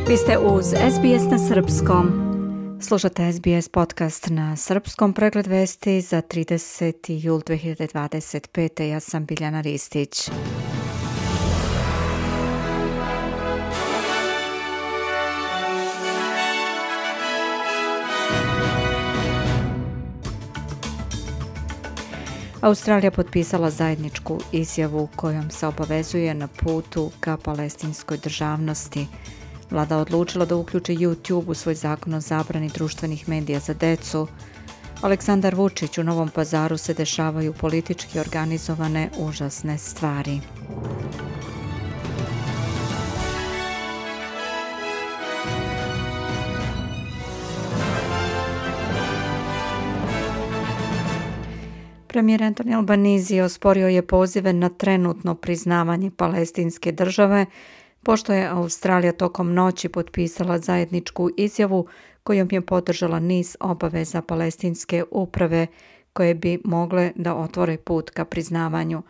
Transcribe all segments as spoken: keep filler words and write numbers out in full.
Vi ste uz S B S na srpskom. Slušate S B S podcast na srpskom, pregled vesti za trideseti jul dve hiljade dvadeset pete. Ja sam Biljana Ristić. Australija potpisala zajedničku izjavu kojom se obavezuje na putu ka palestinskoj državnosti. Vlada odlučila da uključi YouTube u svoj zakon o zabrani društvenih medija za decu. Aleksandar Vučić, u Novom Pazaru se dešavaju politički organizovane užasne stvari. Premijer Anthony Albanese osporio je pozive na trenutno priznavanje palestinske države, pošto je Australija tokom noći potpisala zajedničku izjavu kojom je podržala niz obaveza palestinske uprave koje bi mogle da otvore put ka priznavanju.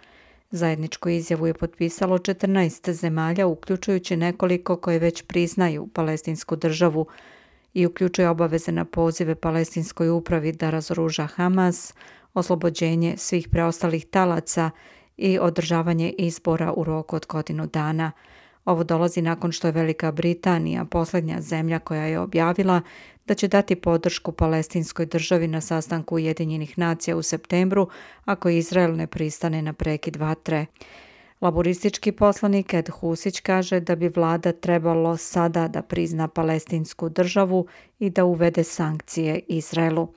Zajedničku izjavu je potpisalo četrnaest zemalja, uključujući nekoliko koje već priznaju palestinsku državu i uključuje obaveze na pozive palestinskoj upravi da razoruža Hamas, oslobođenje svih preostalih talaca i održavanje izbora u roku od godinu dana. Ovo dolazi nakon što je Velika Britanija, posljednja zemlja koja je objavila da će dati podršku palestinskoj državi na sastanku Ujedinjenih nacija u septembru ako Izrael ne pristane na prekid vatre. Laboristički poslanik Ed Husić kaže da bi vlada trebalo sada da prizna palestinsku državu i da uvede sankcije Izraelu.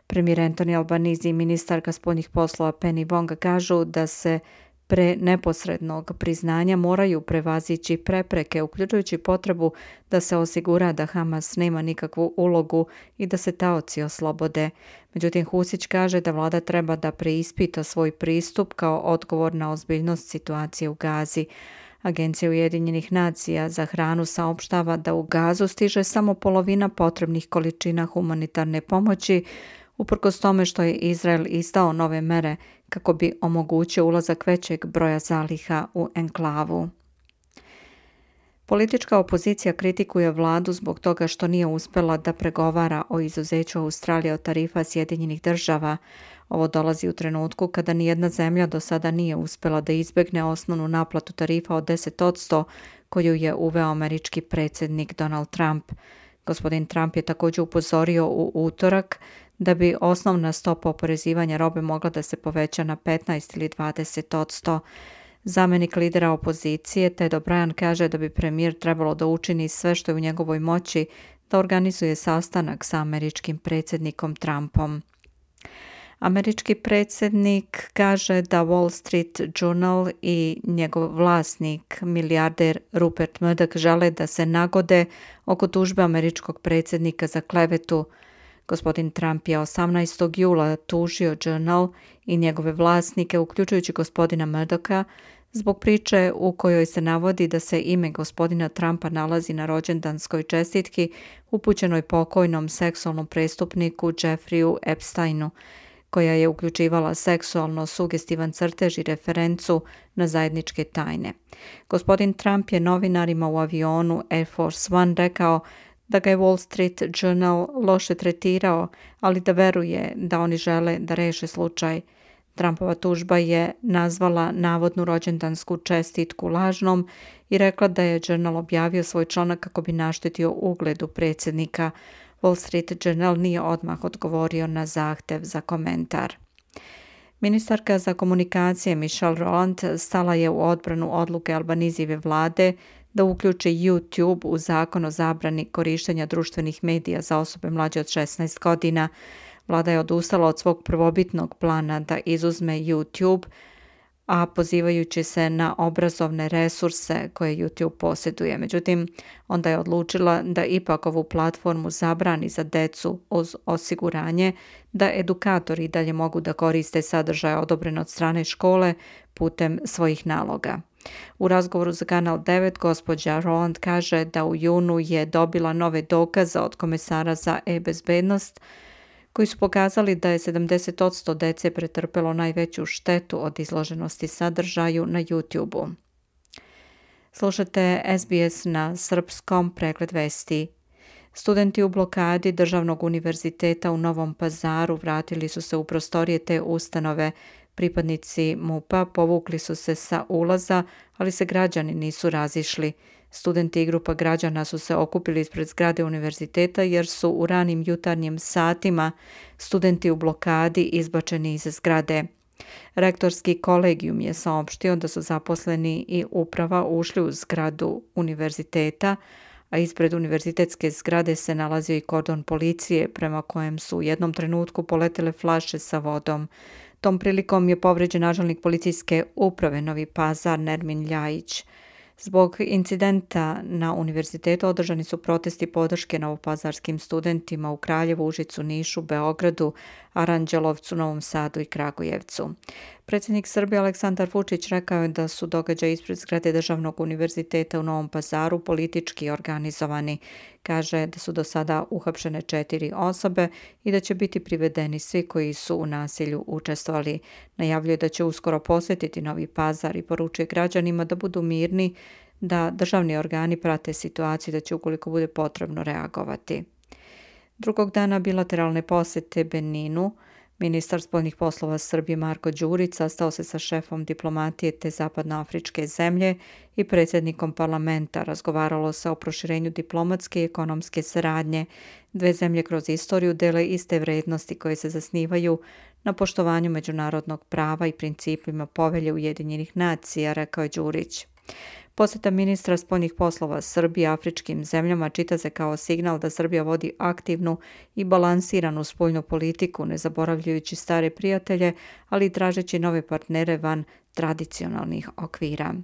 Premijer Anthony Albanese i ministarka spoljnih poslova Penny Wong kažu da se pre neposrednog priznanja moraju prevazići prepreke, uključujući potrebu da se osigura da Hamas nema nikakvu ulogu i da se taoci oslobode. Međutim, Husić kaže da vlada treba da preispita svoj pristup kao odgovor na ozbiljnost situacije u Gazi. Agencija Ujedinjenih nacija za hranu saopštava da u Gazu stiže samo polovina potrebnih količina humanitarne pomoći, uprkos tome što je Izrael izdao nove mere kako bi omogućio ulazak većeg broja zaliha u enklavu. Politička opozicija kritikuje vladu zbog toga što nije uspjela da pregovara o izuzeću Australije od tarifa Sjedinjenih država. Ovo dolazi u trenutku kada nijedna zemlja do sada nije uspjela da izbjegne osnovnu naplatu tarifa od deset posto koju je uveo američki predsjednik Donald Trump. Gospodin Trump je također upozorio u utorak da bi osnovna stopa oporezivanja robe mogla da se poveća na petnaest ili dvadeset posto. Zamenik lidera opozicije Ted O'Brien kaže da bi premijer trebalo da učini sve što je u njegovoj moći da organizuje sastanak sa američkim predsjednikom Trumpom. Američki predsjednik kaže da Wall Street Journal i njegov vlasnik, milijarder Rupert Murdoch, žele da se nagode oko tužbe američkog predsjednika za klevetu. Gospodin Trump je osamnaestog jula tužio Journal i njegove vlasnike, uključujući gospodina Murdocha, zbog priče u kojoj se navodi da se ime gospodina Trumpa nalazi na rođendanskoj čestitki upućenoj pokojnom seksualnom prestupniku Jeffreyu Epsteinu, koja je uključivala seksualno sugestivan crtež i referencu na zajedničke tajne. Gospodin Trump je novinarima u avionu Air Force One rekao da ga je Wall Street Journal loše tretirao, ali da veruje da oni žele da reše slučaj. Trumpova tužba je nazvala navodnu rođendansku čestitku lažnom i rekla da je Journal objavio svoj članak kako bi naštetio ugledu predsjednika. Wall Street Journal nije odmah odgovorio na zahtev za komentar. Ministarka za komunikacije Michelle Rowland stala je u odbranu odluke Albanisijeve vlade da uključi YouTube u zakon o zabrani korištenja društvenih medija za osobe mlađe od šesnaest godina. Vlada je odustala od svog prvobitnog plana da izuzme YouTube, a pozivajući se na obrazovne resurse koje YouTube posjeduje. Međutim, onda je odlučila da ipak ovu platformu zabrani za decu uz osiguranje da edukatori dalje mogu da koriste sadržaje odobrene od strane škole putem svojih naloga. U razgovoru za Kanal devet gospođa Rowland kaže da u junu je dobila nove dokaze od komesara za e-bezbednost koji su pokazali da je sedamdeset posto dece pretrpelo najveću štetu od izloženosti sadržaju na YouTube-u. Slušate S B S na srpskom, pregled vesti. Studenti u blokadi Državnog univerziteta u Novom Pazaru vratili su se u prostorije te ustanove. Pripadnici MUP-a povukli su se sa ulaza, ali se građani nisu razišli. Studenti i grupa građana su se okupili ispred zgrade univerziteta jer su u ranim jutarnjim satima studenti u blokadi izbačeni iz zgrade. Rektorski kolegijum je saopštio da su zaposleni i uprava ušli u zgradu univerziteta, a ispred univerzitetske zgrade se nalazio i kordon policije prema kojem su u jednom trenutku poletele flaše sa vodom. Tom prilikom je povređen načelnik policijske uprave Novi Pazar Nermin Ljajić. Zbog incidenta na univerzitetu održani su protesti podrške novopazarskim studentima u Kraljevu, Užicu, Nišu, Beogradu, Aranđelovcu, Novom Sadu i Kragujevcu. Predsjednik Srbije Aleksandar Vučić rekao je da su događaji ispred zgrade Državnog univerziteta u Novom Pazaru politički organizovani. Kaže da su do sada uhapšene četiri osobe i da će biti privedeni svi koji su u nasilju učestvovali. Najavljuje da će uskoro posjetiti Novi Pazar i poručuje građanima da budu mirni, da državni organi prate situaciju, da će ukoliko bude potrebno reagovati. Drugog dana bilateralne posjete Beninu, ministar spoljnih poslova Srbije Marko Đurić sastao se sa šefom diplomatije te zapadnoafričke zemlje i predsjednikom parlamenta. Razgovaralo se o proširenju diplomatske i ekonomske saradnje. Dve zemlje kroz istoriju dele iste vrednosti koje se zasnivaju na poštovanju međunarodnog prava i principima Povelje Ujedinjenih nacija, rekao je Đurić. Posjeta ministra spoljnih poslova Srbije afričkim zemljama čita se kao signal da Srbija vodi aktivnu i balansiranu spoljnu politiku, ne zaboravljajući stare prijatelje, ali i tražeći nove partnere van tradicionalnih okvira.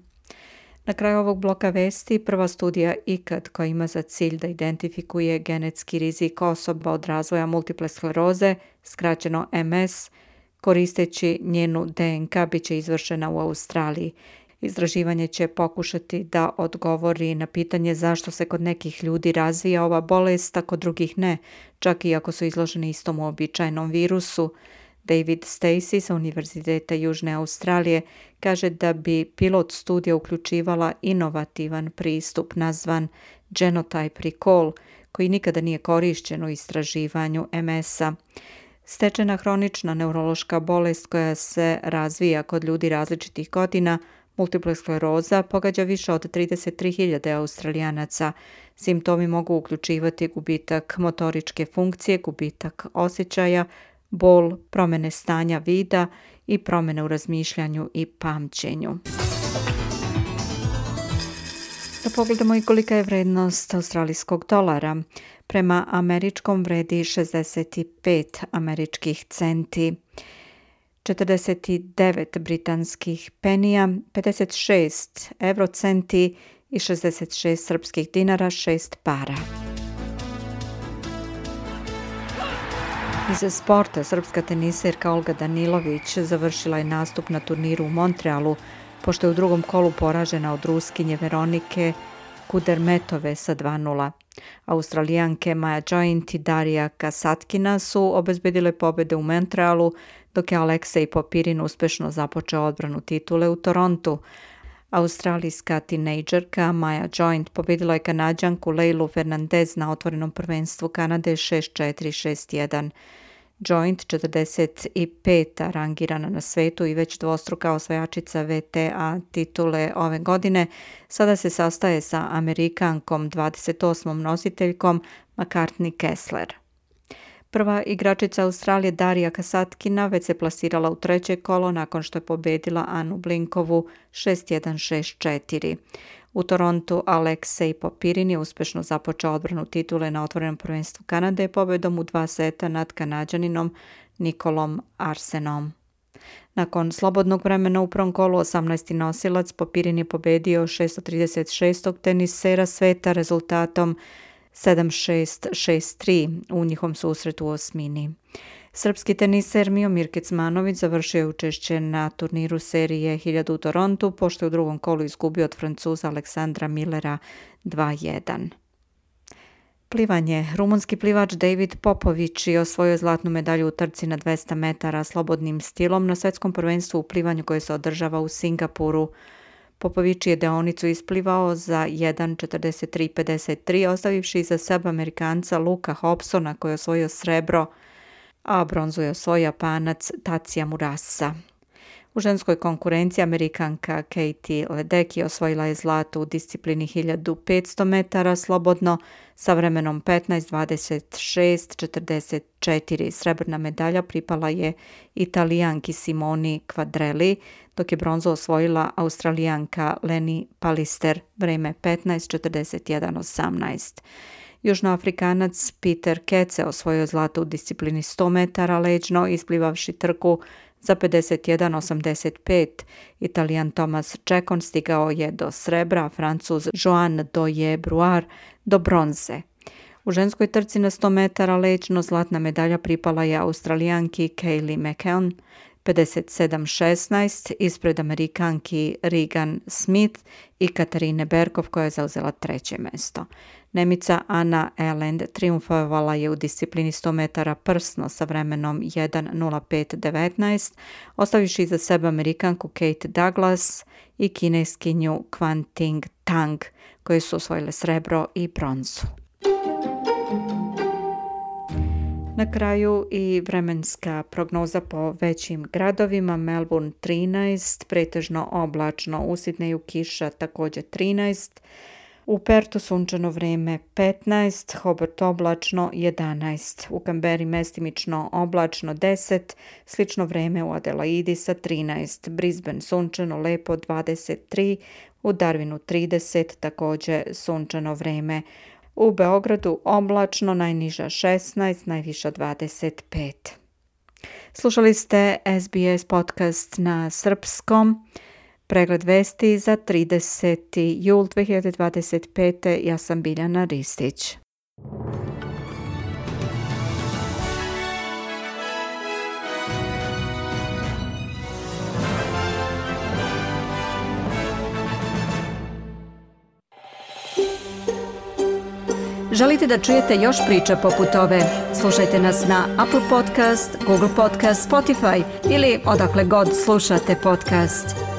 Na kraju ovog bloka vesti prva studija ikad koja ima za cilj da identifikuje genetski rizik osoba od razvoja multiple skleroze, skraćeno M S, koristeći njenu D N K, bit će izvršena u Australiji. Istraživanje će pokušati da odgovori na pitanje zašto se kod nekih ljudi razvija ova bolest, a kod drugih ne, čak i ako su izloženi istom uobičajenom virusu. David Stacey sa Univerziteta Južne Australije kaže da bi pilot studija uključivala inovativan pristup nazvan Genotype Recall, koji nikada nije korišćen u istraživanju M S-a. Stečena hronična neurološka bolest koja se razvija kod ljudi različitih godina, multipla skleroza, pogađa više od trideset tri hiljade Australijanaca. Simptomi mogu uključivati gubitak motoričke funkcije, gubitak osjećaja, bol, promjene stanja vida i promjene u razmišljanju i pamćenju. Da pogledamo i kolika je vrednost australijskog dolara. Prema američkom vredi šezdeset pet američkih centi, četrdeset devet britanskih penija, pedeset šest eurocenti i šezdeset šest srpskih dinara, šest para. Iz sporta, srpska teniserka Olga Danilović završila je nastup na turniru u Montrealu, pošto je u drugom kolu poražena od Ruskinje Veronike Kudermetove sa dva nula. Australijanke Maja Joint i Darija Kasatkina su obezbedile pobjede u Montrealu, dok je Aleksej Popirin uspešno započeo odbranu titule u Torontu. Australijska tinejdžerka Maja Joint pobjedila je Kanađanku Leilu Fernandez na otvorenom prvenstvu Kanade šest četiri šest jedan. Joint, četrdeset peta rangirana na svetu i već dvostruka osvajačica V T A titule ove godine, sada se sastaje sa Amerikankom dvadeset osmom nositeljkom McCartney Kessler. Prva igračica Australije Darija Kasatkina već se plasirala u treće kolo nakon što je pobedila Anu Blinkovu šest jedan šest četiri. U Torontu Aleksej Popirin je uspešno započeo odbranu titule na otvorenom prvenstvu Kanade pobedom u dva seta nad Kanađaninom Nikolom Arsenom. Nakon slobodnog vremena u prvom kolu osamnaesti nosilac Popirin je pobedio šesto trideset šestog tenisera sveta rezultatom sedam šest šest tri u njihovom susretu u osmini. Srpski teniser Miomir Kecmanović završio je učešće na turniru serije hiljadu u Torontu, pošto je u drugom kolu izgubio od Francuza Aleksandra Millera dva jedan. Plivanje. Rumunski plivač David Popović je osvojio zlatnu medalju u trci na dvesta metara slobodnim stilom na svetskom prvenstvu u plivanju koje se održava u Singapuru. Popović je deonicu isplivao za jedan četrdeset tri pedeset tri, ostavivši iza sebe Amerikanca Luka Hobsona koji je osvojio srebro, a bronzu je osvojio Japanac Tatsuya Murasa. U ženskoj konkurenciji Amerikanka Katie Ledecky osvojila je zlato u disciplini hiljadu petsto metara slobodno sa vremenom petnaest dvadeset šest četrdeset četiri. Srebrna medalja pripala je Italijanki Simoni Quadrelli, dok je bronzu osvojila Australijanka Leni Pallister, vreme petnaest četrdeset jedan osamnaest. Južnoafrikanac Peter Kece osvojio zlato u disciplini sto metara leđno, isplivavši trku za pedeset jedan osamdeset pet. Italijan Thomas Čekon stigao je do srebra, a Francuz Joan Doye-Bruard do bronze. U ženskoj trci na sto metara leđno zlatna medalja pripala je Australijanki Kaylee McKeown, pedeset sedam šesnaest, ispred Amerikanki Regan Smith i Katarine Berkov koja je zauzela treće mesto. Nemica Anna Eland triumfovala je u disciplini sto metara prsno sa vremenom jedan nula pet devetnaest, ostavivši iza sebe Amerikanku Kate Douglas i Kineskinju Quanting Tang, koje su osvojile srebro i bronzu. Na kraju i vremenska prognoza po većim gradovima. Melbourne trinaest, pretežno oblačno, u Sidneju kiša također trinaest, u Pertu sunčano vrijeme petnaest, Hobart oblačno jedanaest, u Canberri mestimično oblačno deset, slično vrijeme u Adelaidi sa trinaest, Brisbane sunčano lepo dvadeset tri, u Darwinu trideset, također sunčano vrijeme. U Beogradu oblačno, najniža šesnaest, najviša dvadeset pet. Slušali ste S B S podcast na srpskom. Pregled vesti za trideseti jul dve hiljade dvadeset pete. Ja sam Biljana Ristić. Želite da čujete još priča poput ove? Slušajte nas na Apple Podcast, Google Podcast, Spotify ili odakle god slušate podcast.